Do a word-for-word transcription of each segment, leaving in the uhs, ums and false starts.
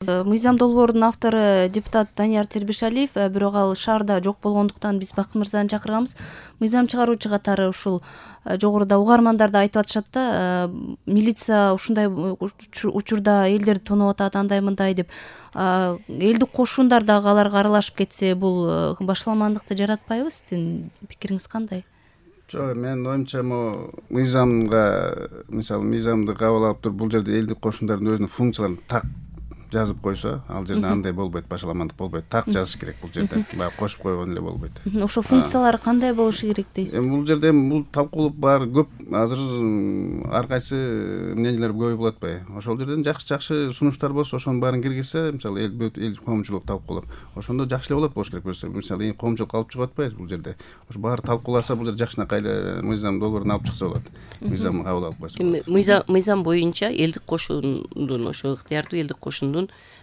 Мыйзам долбоорунун автору депутат Данияр Тербешалиев, бирок ал шаарда жок болгондуктан биз Бакыт мырзаны чакырганбыз. Мыйзам чыгаруучу катары ушул жогоруда угармандар да айтып атышат да, милиция ушундай учурда элдерди тоноп атат, андай мындай деп. Элдик кошундар дагы аларга аралашып кетсе, бул башаламандыкты жаратпайбы? Сиздин пикириңиз кандай? Жок, менин оюмча, мыйзамга, мисалы, мыйзамды кабыл алып туруп, бул жерде элдик кошундардын өзүнүн функцияларын так жазып койсо, ал жерде андай болбойт, башаламандык болбойт. Так жазыш керек бул жерде. Баягы кошуп койгон эле болбойт. Ошо функциялары кандай болушу керек дейсиз? Эми бул жерде бул талкуулуп баары көп. Азыр ар кайсы мнениелер көп болуп атпайбы? Ошол жерден жакшы-жакшы сунуштар болсо, ошонун баарын киргизсе, мисалы, эл эл коомчулук талкуулап, ошондо жакшы эле болот болуш керек болсо. Мисалы, коомчулук алып чыгып атпайбыз бул жерде. Ошо баары талкууласа, бул жерде жакшынакай эле мыйзам долбоорун алып чыкса болот. Мыйзамды кабыл алып койсо. Мыйзам мыйзам боюнча элдик кошундун, ошо ыктыярдуу элдик кошундун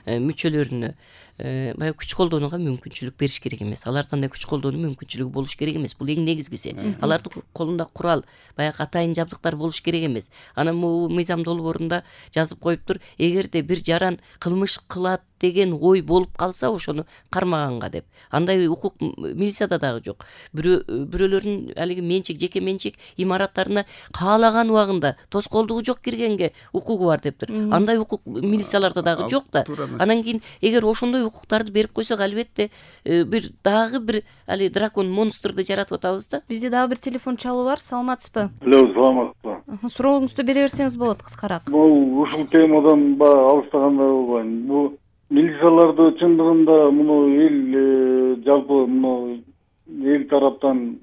мүчөлөрүнө баягы күч колдонууга мүмкүнчүлүк бериш керек эмес. Алардан да күч колдонуу мүмкүнчүлүгү болуш керек эмес. Бул эң негизгиси. Алардын колунда курал, баягы атайын жабдыктар болуш керек эмес. Анан бул мыйзам долбоорунда жазып коюптур, эгерде бир жаран кылмыш кылат деген ой болуп калса, ошону кармаганга деп. Андай укук милицияда дагы жок. Бирөө бирөөлөрдүн алиги менчик, жеке менчик имараттарына каалаган убагында тоскоолдугу жок киргенге укугу бар дептир. Андай укук милицияларда дагы жок да. Анан кийин эгер ошондой укуктарды берип койсок, албетте бир дагы бир али дракон монстрду жаратып атабыз да. Бизде дагы бир телефон чалуу бар. Саламатсызбы? Алло, саламатсызбы? Сурооңузду бере берсеңиз болот, кыскараак. Бул ушул темадан баягы алыстагандай болбойм. Бул милицияларды чындыгында муну эл жалпы муну эл тараптан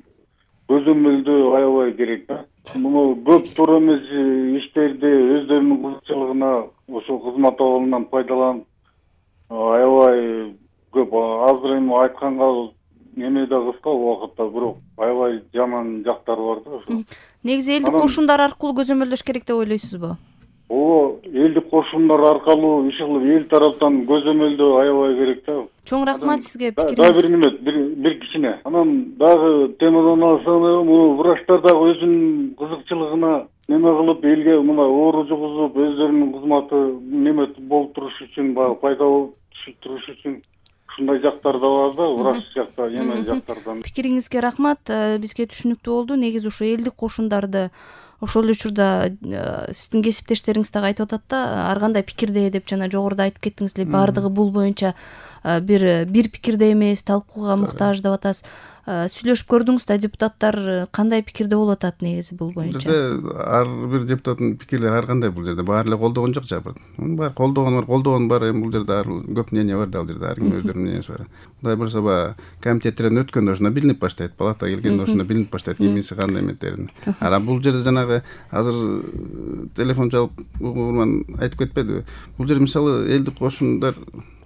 көзөмөлдөө аябай керек да. Муну көп туура эмес иштерди өздөрүнүн кызыкчылыгына ошол кызмат абалынан пайдаланып аябай көп. Азыр эми айтканга эме да кыска убакытта, бирок аябай жаман жактары бар да ошо. Негизи элдик кошундар аркылуу көзөмөлдөш керек деп ойлойсузбу? Ооба, элдик кошундар аркылуу иш кылып эл тараптан көзөмөлдөө аябай керек да. Чоң рахмат сизге пикириңиз. пикириңиз. Дагы бир неме, бир бир кичине. Анан дагы темадан алсак, муну врачтар дагы өзүнүн кызыкчылыгына неме кылып, элге мына оору жугузуп, өздөрүнүн кызматы неме болуп туруш үчүн, баягы пайда болуп туруш үчүн ушундай жактар да бар да, врач жакта, эме жактардан. Пикириңизге рахмат. Бизге түшүнүктүү болду. Негизи ушу элдик кошундарды ошол эле учурда сиздин кесиптештериңиз дагы айтып атат да, ар кандай пикирде деп жана жогоруда айтып кеттиңиз эле, баардыгы бул боюнча бир бир пикирде эмес, талкууга муктаж деп атасыз. Сүйлөшүп көрдүңүз да, депутаттар кандай пикирде болуп атат негизи бул боюнча? Бул жерде ар бир депутаттын пикирлери ар кандай, бул жерде баары эле колдогон жок жабыр. Мунун баары колдогон бар, колдогон бар. Эми бул жерде ар көп мнение бар да, ал жерде ар ким өздөрүнүн мненияси бар. Мындай болсо баягы комитеттерден өткөндө ошондо билинип баштайт, палата келгенде ошондо билинип баштайт кимиси кандай эметтерин. А бул жерде жанагы азыр телефон чалып угурман айтып кетпедиби? Бул жерде мисалы элдик кошундар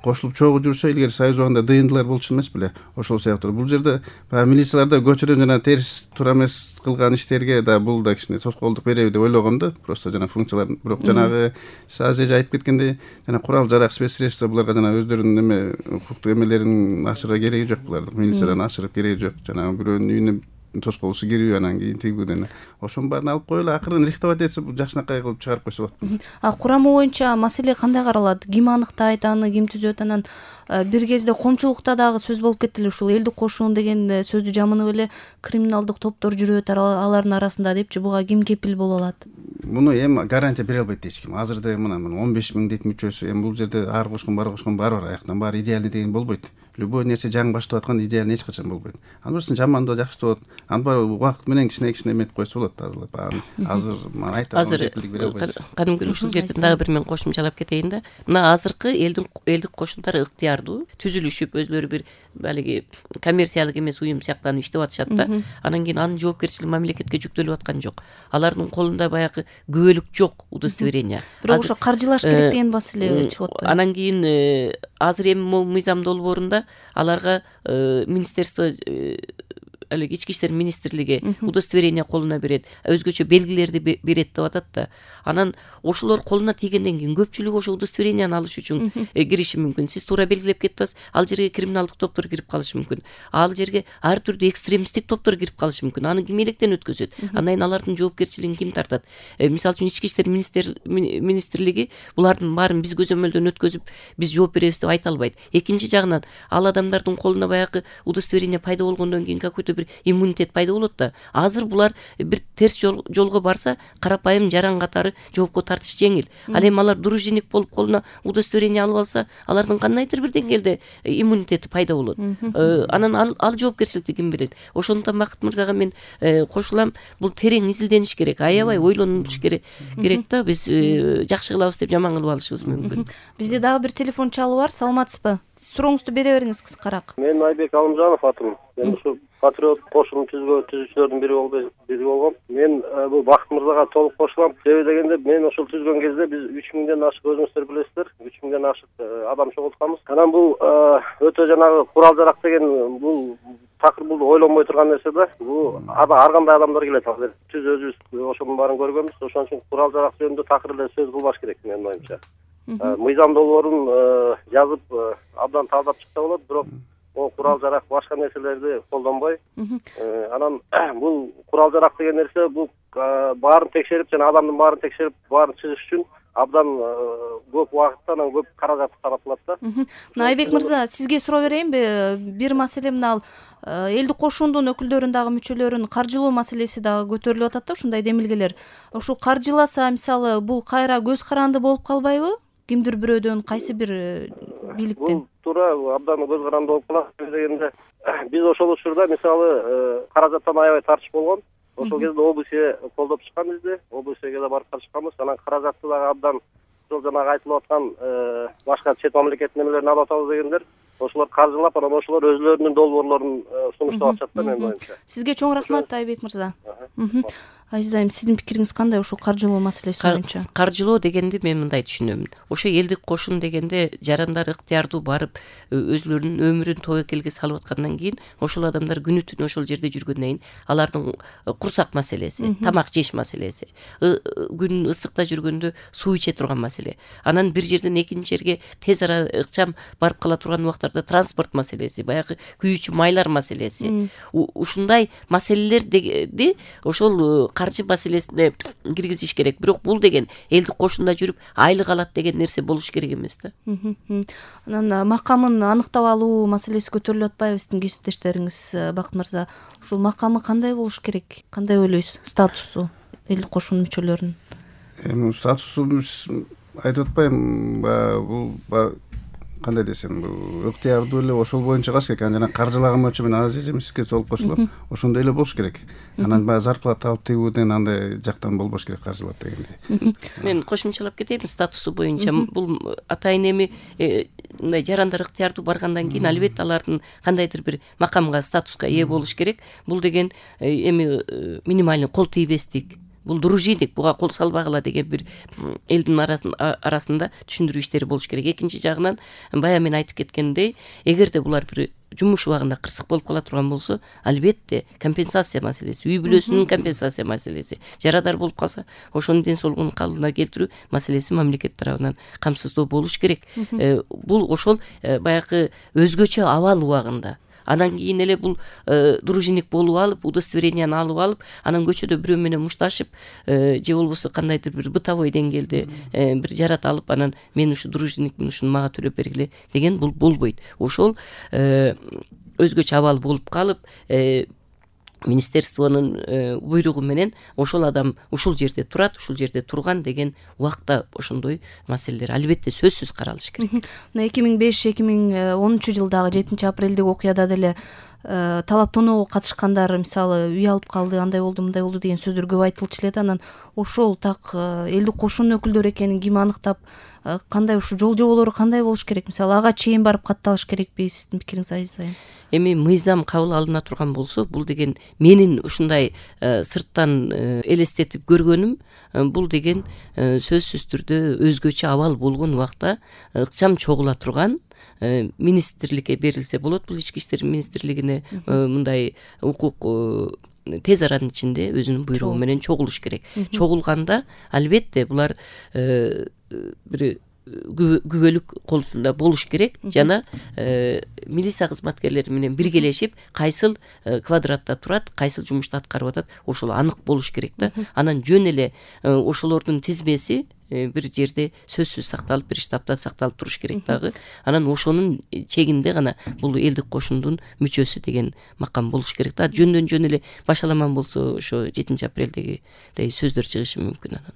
кошулуп чогуу жүрсө, илгери союз убагында дыйындылар болчу эмес беле? Ошол сыяктуу бул жерде баягы милицияларда көчөрөн жана терс туура эмес кылган иштерге да бул да кичине тоскоолдук береби деп ойлогом да. Просто жана функциялар, бирок жанагы азыр эже айтып кеткендей, жана курал жарак спецсредство буларга жана өздөрүнүн эме укуктук эмелерин ачырга кереги жок буларды. Милициядан ачырып кереги жок. Жана бирөөнүн үйүнө тоскоолусу кирүү, анан кийин тигүүдөн ошонун баарын алып коелу, акырын рихтовать этсе жакшынакай кылып чыгарып койсо болот. А курамы боюнча маселе кандай каралат? Ким аныктайт аны, ким түзөт? Анан бир кезде коомчулукта дагы сөз болуп кетти эле, ушул элдик кошун деген сөздү жамынып эле криминалдык топтор жүрүп атат алардын арасында депчи, буга ким кепил боло алат? Муну эми гарантия бере албайт эч ким. Азырда мына он беш миң дейт мүчөсү, эми бул жерде ар кошкон бар кошкон бар бар, аяктан баары идеальный деген болбойт. Любой нерсе жаңы баштап аткан идеальный эч качан болбойт. Анын бирсин жамандоо жакшы болот. Аны бар убакыт менен кичине кичине эметип койсо болот. Азыр мен айтам, азыр кадимки ушул жерден дагы бир мен кошумчалап кетейин да. Мына азыркы элдин элдик кошундар ыктыярдуу түзүлүшүп, өзлөрү бир балиги коммерциялык эмес уюм сыяктанып иштеп атышат да. Анан кийин анын жоопкерчилиги мамлекетке жүктөлүп аткан жок. Алардын колунда баягы күбөлүк жок, удостоверение. Бирок ошо каржылаш керек деген маселе чыгып атпайбы? Анан кийин азыр эми мыйзам долбоорунда аларга министерство эле ички иштер министрлиги удостоверение колуна берет, өзгөчө белгилерди берет деп атат да. Анан ошолор колуна тийгенден кийин көпчүлүк ошо удостоверенияны алыш үчүн кириши мүмкүн. Сиз туура белгилеп кетип атасыз, ал жерге криминалдык топтор кирип калышы мүмкүн. Ал жерге ар түрдүү экстремисттик топтор кирип калышы мүмкүн. Аны ким электен өткөзөт? Андан кийин алардын жоопкерчилигин ким тартат? Мисалы үчүн ички иштер министрлиги булардын баарын биз көзөмөлдөн өткөзүп, биз жооп беребиз деп айта албайт. Экинчи жагынан ал адамдардын колуна баягы удостоверение пайда болгондон кийин какой-то бир иммунитет пайда болот да. Азыр булар бир терс жолго барса, карапайым жаран катары жоопко тартыш жеңил. Ал эми алар дружинник болуп колуна удостоверение алып алса, алардын кандайдыр бир деңгээлде иммунитети пайда болот. Анан ал, ал жоопкерчиликти ким берет? Ошондуктан Бакыт мырзага мен кошулам, бул терең изилдениш керек, аябай ойлонуш керек керек да. Биз жакшы кылабыз деп жаман кылып алышыбыз мүмкүн. Бизде дагы бир телефон чалуу бар. Саламатсызбы? Сурооңузду бере бериңиз кыскараак. Мен Айбек Алымжанов атым. Мен ушу патриот кошунун түзүүчүлөрдүн бири болду, бири болгом. Мен бул Бакыт мырзага толук кошулам. Себеби дегенде мен ошол түзгөн кезде биз үч миңден ашык, өзүңүздөр билесиздер, үч миңден ашык адам чогултканбыз. Анан бул өтө жанагы курал жарак деген бул такыр бул ойлонбой турган нерсе да. Бул ар кандай адамдар келет азыр. Түз өзүбүз ошонун баарын көргөнбүз. Ошон үчүн курал жарак жөнүндө такыр эле сөз кылбаш керек менин оюмча. Мыйзам долбоорун жазып абдан таздап чыкса болот, бирок о курал жарак башка нерселерди колдонбой, анан бул курал жарак деген нерсе бул баарын текшерип жана адамдын баарын текшерип баарын чыгыш үчүн абдан көп убакытта, анан көп каражат таратылат да. Мына Айбек мырза, сизге суроо берейинби? Бир маселе мына ал элдик кошундун өкүлдөрүн дагы мүчөлөрүн каржылоо маселеси дагы көтөрүлүп атат да, ушундай демилгелер. Ошо каржыласа, мисалы, бул кайра көз каранды болуп калбайбы? Кимдир бирөөдөн, кайсы бир бийликтен? Бул туура абдан көз каранды болуп калат дегенде, биз ошол учурда мисалы каражаттан аябай тартыш болгон. Ошол кезде ОБС колдоп чыккан бизди, ОБСге да барып чыкканбыз. Анан каражатты дагы абдан ошол жанагы айтылып аткан башка чет мамлекеттин немелерин алып атабыз дегендер, ошолор каржылап, анан ошолор өзлөрүнүн долбоорлорун сунуштап атышат да менин оюмча. Сизге чоң рахмат, Айбек мырза. Азиз айым, сиздин пикириңиз кандай ушул каржылоо маселеси боюнча? Каржылоо дегенди мен мындай түшүнөм. Ошо элдик кошун дегенде жарандар ыктыярдуу барып өзлөрүнүн өмүрүн тобокелге салып аткандан кийин ошол адамдар күнү түнү ошол жерде жүргөндөн кийин алардын курсак маселеси, тамак жеш маселеси, күн ысыкта жүргөндө суу иче турган маселе, анан бир жерден экинчи жерге тез ара ыкчам барып кала турган убактарда транспорт маселеси, баягы күйүүчү майлар маселеси, ушундай маселелерди ошол каржы маселесине киргизиш керек. Бирок бул деген элдик кошунда жүрүп айлык алат деген нерсе болуш керек эмес да. Анан макамын аныктап алуу маселеси көтөрүлүп атпайбы сиздин кесиптештериңиз, Бакыт мырза? Ушул макамы кандай болуш керек? Кандай ойлойсуз? Статусу элдик кошунун мүчөлөрүнүн? Эми статусу айтып атпайм, бул кандай десем, бул ыктыярдуу эле ошол боюнча калыш керек. Анан каржылаган боюнча мен азиз эми сизге толук кошулам. Ошондой эле болуш керек. Анан баягы зарплата алып тигүүдөн андай жактан болбош керек каржылап дегендей. Мен кошумчалап кетейин статусу боюнча. Бул атайын эми мындай жарандар ыктыярдуу баргандан кийин албетте алардын кандайдыр бир макамга, статуска ээ болуш керек. Бул деген эми минимальный кол тийбестик, бул дружинник, буга кол салбагыла деген бир элдин арасында түшүндүрүү иштери болуш керек. Экинчи жагынан баягы мен айтып кеткендей, эгерде булар бир жумуш убагында кырсык болуп кала турган болсо, албетте компенсация маселеси, үй бүлөсүнүн компенсация маселеси, жарадар болуп калса, ошонун ден соолугун калыбына келтирүү маселеси мамлекет тарабынан камсыздоо болуш керек. Бул ошол баягы өзгөчө абал убагында. Анан кийин эле бул дружинник болуп алып, удостоверенияны алып алып, анан көчөдө бирөө менен мушташып, же болбосо кандайдыр бир бытовой деңгээлде бир жарат алып, анан мен ушу дружинникмин, ушуну мага төлөп бергиле деген бул болбойт. Ошол өзгөчө абал болуп калып, министерствонун буйругу менен ошол адам ушул жерде турат, ушул жерде турган деген убакта ошондой маселелер албетте сөзсүз каралыш керек. Мына эки миң беш эки миң онунчу жылдагы жетинчи апрелдеги окуяда деле талап тоноого катышкандар мисалы үй алып калды, андай болду, мындай болду деген сөздөр көп айтылчу эле да. Анан ошол так элдик кошунун өкүлдөрү экенин ким аныктап, кандай ушу жол жоболору кандай болуш керек? Мисалы ага чейин барып катталыш керекпи? Сиздин пикириңиз Азиз айым? Эми мыйзам кабыл алына турган болсо, бул деген менин ушундай сырттан элестетип көргөнүм, бул деген сөзсүз түрдө өзгөчө абал болгон убакта ыкчам чогула турган, министрликке берилсе болот. Бул ички иштер министрлигине мындай укук тез аранын ичинде өзүнүн буйругу менен чогулуш керек. Чогулганда албетте булар бир күбөлүк колунда болуш керек жана милиция кызматкерлери менен биргелешип кайсыл квадратта турат, кайсыл жумушту аткарып атат, ошол анык болуш керек да. Анан жөн эле ошолордун тизмеси бир жерде сөзсүз сакталып, бир штабта сакталып туруш керек дагы. Анан ошонун чегинде гана бул элдик кошундун мүчөсү деген макам болуш керек да. Жөндөн жөн эле башаламан болсо ошо жетинчи апрелдегидей сөздөр чыгышы мүмкүн анан.